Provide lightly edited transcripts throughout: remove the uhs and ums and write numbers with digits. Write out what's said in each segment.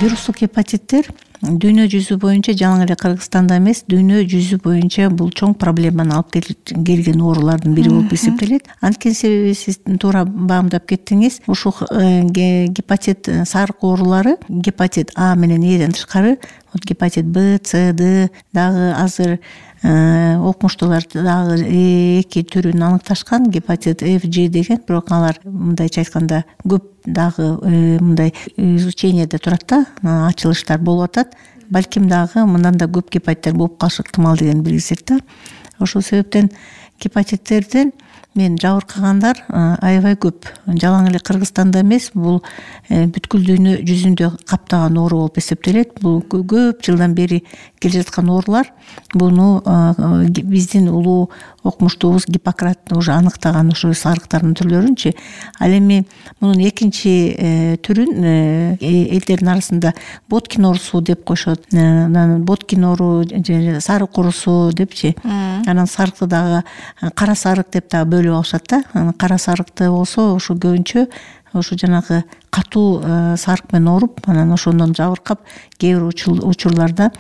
Вирустук гепатиттер дүйнө жүзү боюнча, жалаң эле Кыргызстанда эмес, дүйнө жүзү боюнча бул чоң проблеманы алып келген оорулардын бири болуп эсептелет. Анткени себеби сиз туура баамдап кеттиңиз. Ушул гепатит сарык оорулары гепатит А менен Эден тышкары гепатит Б, С, Д дагы азыр окумуштуулар дагы 2 түрүн аныкташкан, гепатит F, G деген. Бирок алар мындайча айтканда көп дагы мындай изученияда турат да, ачылыштар болуп атат. Балким дагы мындан да көп гепатиттер болуп калышы ыктымал деген билгизет да. Ошол себептен гепатиттерден мен жабыркагандар аябай көп. Жалаң эле Кыргызстанда эмес, бул бүткүл дүйнө жүзүндө каптаган оору болуп эсептелет. Бул көп жылдан бери келе жаткан оорулар. Буну биздин улуу окумуштуубуз Гиппократ уже аныктаган ошо сарыктардын түрлөрүнчү. Ал эми мунун экинчи түрүн элдердин арасында Боткин оорусу деп коюшат. Боткин оору же сарык оорусу депчи. Анан сарыкты дагы кара сарык деп да бөлүп алышат да. Кара сарыкты болсо ошо көбүнчө ошо жанагы катуу сарык менен ооруп, анан ошондон жабыркап, кээ бир учурларда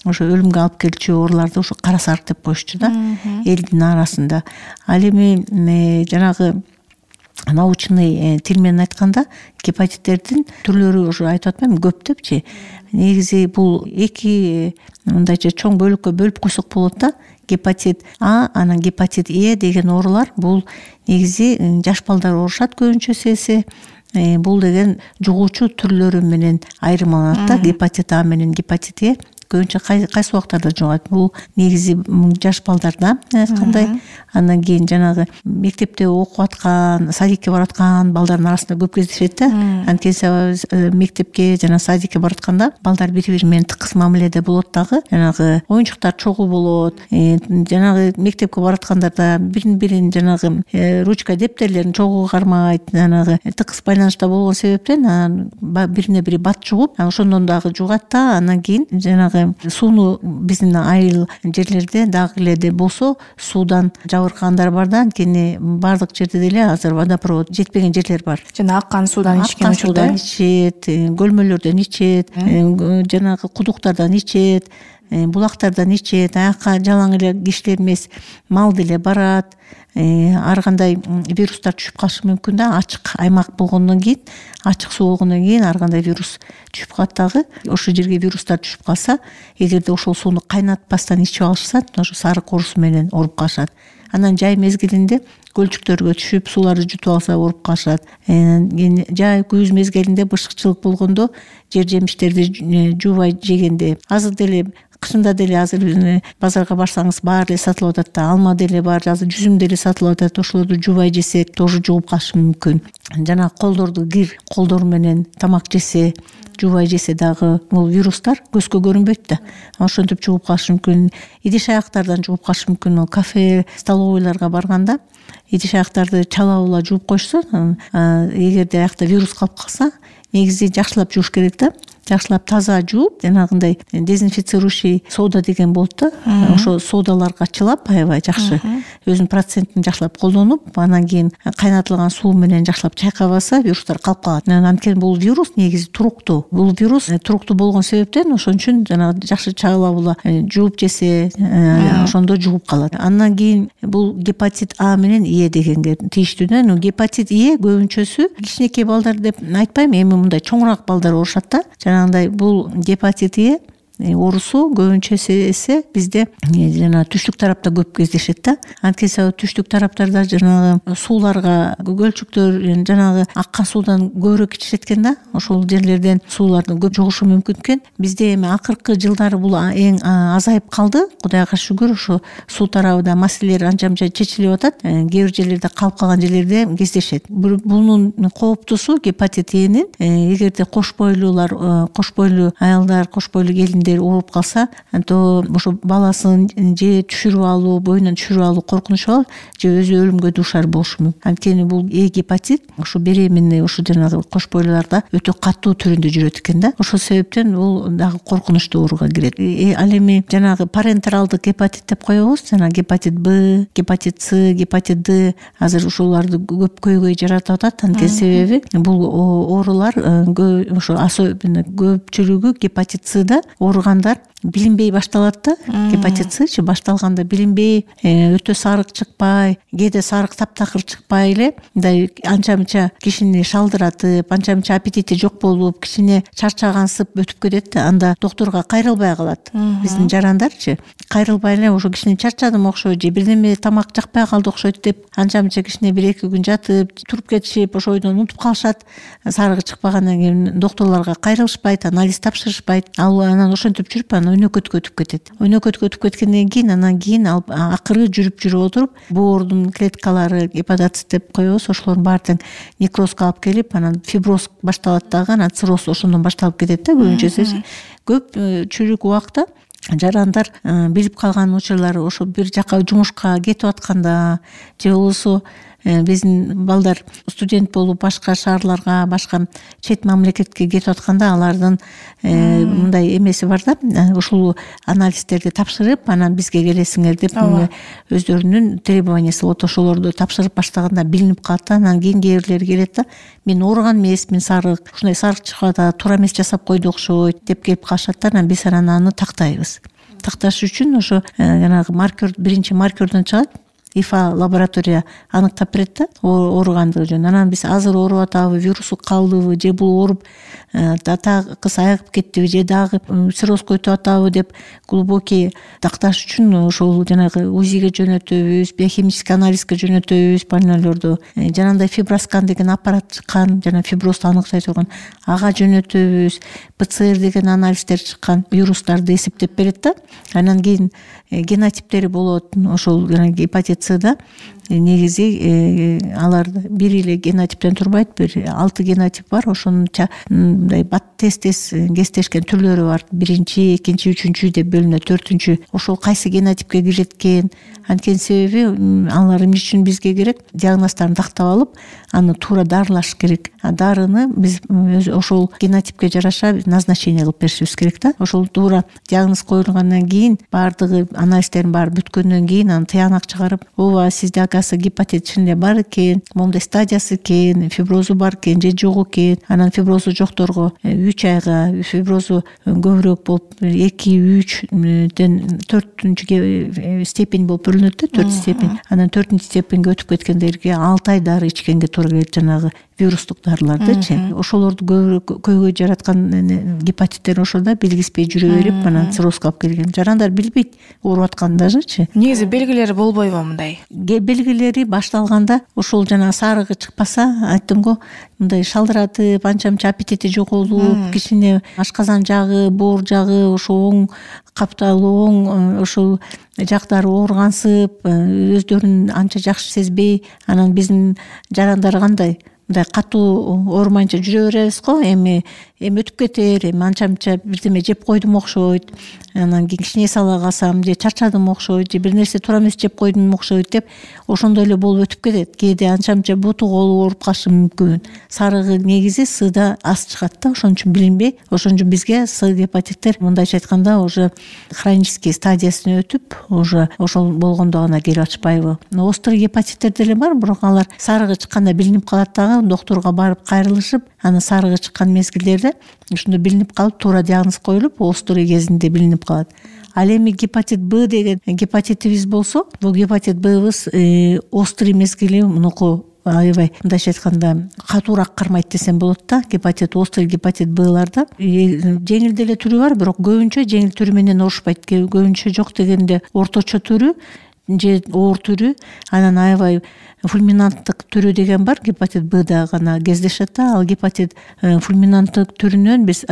ошо өлүмгө алып келчү ооруларды ошо кара сарык деп коюшчу да элдин арасында. Ал эми жанагы научный тил менен айтканда гепатиттердин түрлөрү уже айтып атпаймынбы көп депчи. Негизи бул эки мындайча чоң бөлүккө бөлүп койсок болот да. Гепатит А, анан гепатит Е деген оорулар бул негизи жаш балдар оорушат көбүнчөсү. Бул деген жугуучу түрлөрү менен айырмаланат да. Гепатит А менен гепатит Е көбүнчө кайсы убактарда жугат? Бул негизи жаш балдарда айткандай. Андан кийин жанагы мектепте окуп аткан, садикке бараткан балдардын арасында көп кездешет да. Анткени мектепке жана садикке баратканда балдар бири-бири менен тыкыз мамиледе болот дагы. Жанагы оюнчуктар чогуу болот. Жанагы мектепке бараткандарда бирин жанагы ручка дептерлерин чогуу кармайт. Жанагы тыкыз байланышта болгон себептен бирине бири бат жугуп, ошондон дагы жугат да. Андан кийин жанагы сууну биздин айыл жерлерде дагы эле болсо суудан жабыркагандар бар да. Анткени баардык жерде деле азыр водопровод жетпеген жерлер бар. Жана аккан суудан ичкен учурда ичет, көлмөлөрдөн ичет, жанагы кудуктардан ичет, булактардан ичет. Аякка жалаң эле кишилер эмес, мал деле барат. Ар кандай вирустар түшүп калышы мүмкүн да. Ачык аймак болгондон кийин, ачык суу болгондон кийин ар кандай вирус түшүп калат дагы. Ошол жерге вирустар түшүп калса, эгерде ошол сууну кайнатпастан ичип алышса, ошо сарык оорусу менен ооруп калышат. Анан жай мезгилинде көлчүктөргө түшүп сууларды жутуп алса ооруп калышат. Жай күз мезгилинде бышыкчылык болгондо, жер жемиштерди жуубай жегенде, азыр деле кышында деле азыр базарга барсаңыз баары эле сатылып атат да. Алма деле бар, азыр жүзүм деле сатылып атат. Ошолорду жуубай жесек, тоже жугуп калышы мүмкүн. Жана колдорду колдор менен тамак жесе, жуубай жесе дагы бул вирустар көзгө көрүнбөйт да. Ошентип жугуп калышы мүмкүн. Идиш аяктардан жугуп калышы мүмкүн. Кафе, столовойлорго барганда идиш аяктарды чалабыла жууп койсо, эгерде аякта вирус калып калса, негизи жакшылап жууш керек да. Жакшылап таза жууп, жанагындай дезинфицирующий сода деген болот да. Ошо содаларга чылап аябай жакшы өзүнүн процентин жакшылап колдонуп, анан кийин кайнатылган суу менен жакшылап чайкабаса, вирустар калып калат. Анткени бул вирус негизи туруктуу. Бул вирус туруктуу болгон себептен ошон үчүн жанагы жакшы чалабыла жууп жесе, ошондо жугуп калат. Андан кийин бул гепатит А менен Е дегенге тийиштүү да. Гепатит Е көбүнчөсү кичинекей балдар деп айтпайм, эми мындай чоңураак балдар оорушат да. Жанагындай бул гепатит Е оорусу көбүнчөсү бизде жана түштүк тарапта көп кездешет да. Анткени түштүк тараптарда жанагы сууларга көлчүктөр жанагы аккан суудан көбүрөөк ичишет экен да. Ошол жерлерден сууларды көп жугушу мүмкүн экен. Бизде эми акыркы жылдары бул эң азайып калды. Кудайга шүгүр, ошо суу тарабында маселелер анча-мынча чечилип атат. Кээ бир жерлерде калып калган жерлерде кездешет. Бунун кооптусу гепатит Энин эгерде кош бойлуулар, кош бойлуу аялдар, кош бойлуу келиндер кимдир ооруп калса то ошо баласын же түшүрүп алуу, боюнан түшүрүп алуу коркунучу бар, же өзү өлүмгө дуушар болушу мүмкүн. Анткени бул гепатит ошо беременный ошо жанагы кош бойлууларда өтө катуу түрүндө жүрөт экен да. Ошол себептен бул дагы коркунучтуу ооруга кирет. Ал эми жанагы парентералдык гепатит деп коебуз, жана гепатит Б, гепатит С, гепатит Д азыр ушуларды көп көйгөй жаратып атат. Анткени себеби бул оорулар ошо особенно көпчүлүгү гепатит Сда ооругандар билинбей башталат да. Гепатит Счы башталганда билинбей, өтө сарык чыкпай, кээде сарык таптакыр чыкпай эле мындай анча мынча кишини шалдыратып, анча мынча аппетити жок болуп, кичине чарчагансып өтүп кетет да. Анда доктурга кайрылбай калат. Биздин жарандарчы кайрылбай эле ошо кичине чарчадым окшойт, же бирдеме тамак жакпай калды окшойт деп анча мынча кичине 1-2 күн жатып, туруп кетишип, ошо ойдон унутуп калышат. Сарыгы чыкпагандан кийин доктурларга кайрылышпайт, анализ тапшырышпайт. Ал анан ошентип жүрүп анан өнөкөткө өтүп кетет. Өнөкөткө өтүп кеткенден кийин анан кийин акыры жүрүп отуруп боордун клеткалары, гепатоцит деп коебуз, ошолордун баары тең некрозго алып келип, анан фиброз башталат дагы, анан цирроз ошондон башталып кетет да көбүнчөсү. Көпчүлүк убакта жарандар билип калган учурлары ошо бир жака жумушка кетип атканда же болбосо биздин балдар студент болуп башка шаарларга, башка чет мамлекетке кетип атканда алардын мындай эмеси бар да, ушул анализдерди тапшырып анан бизге келесиңер деп өздөрүнүн требованиясы болот. Ошолорду тапшырып баштаганда билинип калат да. Анан кийин кээ бирлери келет да, мен ооруган эмесмин, сарык ушундай сарык чыгып атат, туура эмес жасап койду окшойт деп келип калышат да. Анан биз аны тактайбыз. Такташ үчүн ошо жанагы маркер, биринчи маркердон чыгат. ИФА лаборатория аныктап берет да ооругандыгы жөнүндө. Анан биз азыр ооруп атабы, вирусу калдыбы, же бул ооруп такыс айыгып кеттиби, же дагы циррозго өтүп атабы деп глубокий такташ үчүн ошол жанагы УЗИге жөнөтөбүз, биохимический анализге жөнөтөбүз больнойлорду. Жанагындай фиброскан деген аппарат чыккан, жана фиброзду аныктай турган, ага жөнөтөбүз. ПЦР деген анализдер чыккан, вирустарды эсептеп берет да. Анан кийин генотиптери болот. Ошол гепатит Сда негизи алар бир эле генотиптен турбайт, бир 6 генотип бар. Ошонун мындай тез кестешкен түрлөрү бар. 1-чи, 2-чи, 3-чү деп бөлүнөт, 4-чү. Ошол кайсы генотипке кирет экен. Анткени себеби алар эмне үчүн бизге керек? Диагноздорун тактап алып, аны туура дарылаш керек. Дарыны биз ошол генотипке жараша назначение кылып беришибиз керек да. Ошол туура диагноз коюлгандан кийин, баардыгы анализдердин баары бүткөндөн кийин аны тыянак чыгарып, ооба сизде оказывается гепатит чын эле бар экен, моундай стадиясы экен, фиброзу бар экен же жок экен. Анан фиброзу жокторго 3 айга, фиброзу көбүрөөк болуп 2-3ден 4-чү степень болуп бөлүнөт да, 4 степень. Анан 4-чү степеньге өтүп кеткендерге 6 ай дары ичкенге туура келет, жанагы вирустук дарылардычы. Ошолорду көйгөй жараткан гепатиттер ошолда белгиспей жүрө берип, анан циррозго алып келген. Жарандар билбейт ооруп атканын дажычы. Негизи белгилери болбойбу мындай? Белгилери башталганда ошол жана сарыгы чыкпаса, айттым го, мындай шалдыратып, анча мынча аппетити жоголуп, кичине ашказан жагы, боор жагы, ошо оң капталуу, оң ошол жактары ооругансып, өздөрүн анча жакшы сезбей, анан биздин жарандар кандай? Мындай катуу оорумайынча жүрө беребиз го, эми өтүп кетер, эми анча мынча бирдеме жеп койдум окшойт, анан кийин кичине эс ала калсам, же чарчадым окшойт, же бир нерсе туура эмес жеп койдум окшойт деп ошондой эле болуп өтүп кетет. Кээде анча мынча буту колу ооруп калышы мүмкүн. Сарыгы негизи Сда аз чыгат да, ошон үчүн билинбей. Ошон үчүн бизге С гепатиттер мындайча айтканда уже хронический стадиясына өтүп, уже ошол болгондо гана келип ачпайбы. Острый гепатиттер деле бар, бирок алар сарыгы чыкканда билинип калат дагы, доктурга барып кайрылышып, анан сарыгы чыккан мезгилдерде ошондо билинип калып, туура диагноз коюлуп, острый кезинде билинип калат. Ал эми гепатит Б деген гепатитибиз болсо, бул гепатит Ббыз острый мезгили мунуку аябай мындайча айтканда катуураак кармайт десем болот да. Гепатит, острый гепатит Бларда жеңил деле түрү бар, бирок көбүнчө жеңил түрү менен оорушпайт. Көбүнчө жок дегенде орточо түрү же оор түрү, анан аябай фульминанттык түрү деген бар, гепатит Бда гана кездешет да. Ал гепатит фульминанттык түрүнөн биз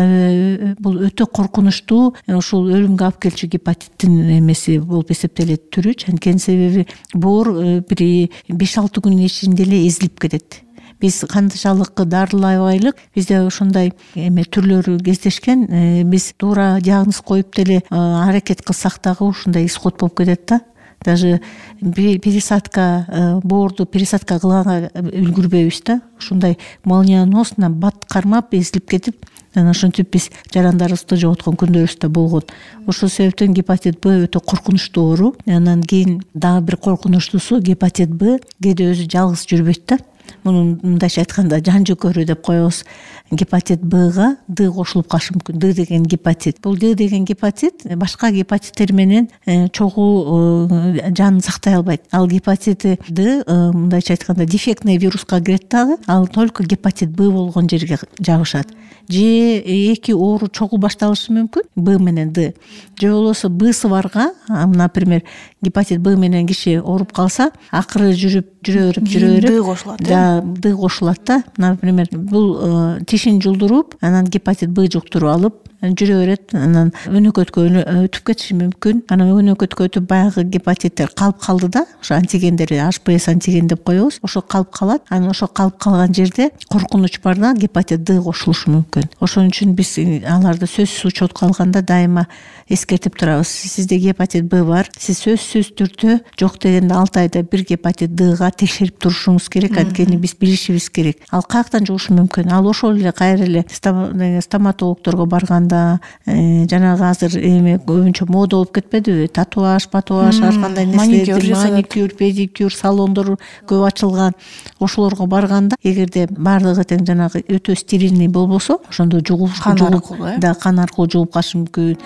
бул өтө коркунучтуу, ушул өлүмгө алып келчү гепатиттин эмеси болуп эсептелет түрү. Анткени себеби боор бир 5-6 күнүн ичинде эле эзилип кетет. биз канчалык дарылабайлык бизде ушундай түрлөрү кездешкен. Биз туура диагноз коюп деле аракет кылсак дагы ушундай исход болуп кетет да. Даже пересадка боорду пересадка кылганга үлгүрбөйбүз да. Ушундай молниеносно бат кармап эзилип кетип, анан ошентип биз жарандарыбызды жоготкон күндөрүбүз да болгон. Ошол себептен гепатит Б өтө коркунучтуу оору. Анан кийин дагы бир коркунучтуусу гепатит Б кээде өзү жалгыз жүрбөйт да. Муну мындайча айтканда жан жөкөрү деп коебуз. Гепатит Бга Д кошулуп калышы мүмкүн. Д деген гепатит. Бул Д деген гепатит башка гепатиттер менен чогуу жанын сактай албайт. Ал гепатит Д мындайча айтканда дефектный вируска кирет дагы. Ал только гепатит Б болгон жерге жабышат. Же эки оору чогуу башталышы мүмкүн Б менен Д. Же болбосо Бсы барга, например, гепатит Б менен киши ооруп калса, акыры жүрө берип Д кошулат. Д кошулат да. Например, бул тишин жулдуруп, анан гепатит Б жуктуруп алып жүрө берет. Анан өнөкөткө өтүп кетиши мүмкүн. Анан өнөкөткө өтүп баягы гепатиттер калып калды да. Ошо антигендери HPS антиген деп коебуз. Ошо калып калат. Анан ошо калып калган жерде коркунуч бар да, гепатит Д кошулушу мүмкүн. Ошон үчүн биз аларды сөзсүз учетко алганда дайыма эскертип турабыз. Сизде гепатит Б бар. Сиз сөзсүз түрдө жок дегенде 6 айда бир гепатит Дга текшерип турушуңуз керек. Анткени биз билишибиз керек. Ал каяктан жугушу мүмкүн? Ал ошол эле кайра эле стоматологдорго барганда, жанагы азыр көбүнчө мода болуп кетпедиби? Татуаж, ар кандай нерселер, маникюр, педикюр салондор көп ачылган. Ошолорго барганда, эгерде баардыгы тең жанагы өтө стерильный болбосо, ошондо кан аркылуу жугуп калышы мүмкүн.